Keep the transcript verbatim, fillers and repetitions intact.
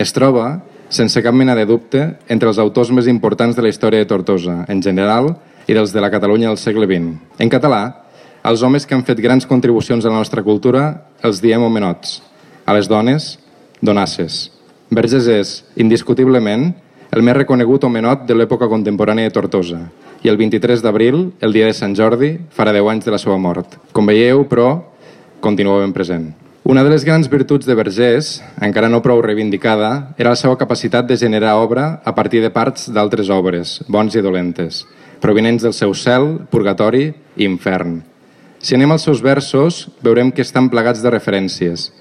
Es troba, sense cap mena de dubte, entre els autors més importants de la història de Tortosa, en general, i dels de la Catalunya del segle vint. En català, als homes que han fet grans contribucions a la nostra cultura els diem homenots. A les dones, donasses. Vergés és, indiscutiblement, el més reconegut homenot de l'època contemporània de Tortosa. I el vint-i-tres d'abril, el dia de Sant Jordi, farà deu anys de la seva mort. Com veieu, però, continua ben present. Una de les grans virtuts de Vergés, encara no prou reivindicada, era la seva capacitat de generar obra a partir de parts d'altres obres, bons i dolentes, provinents del seu cel, purgatori i infern. Si anem als seus versos, veurem que estan plagats de referències.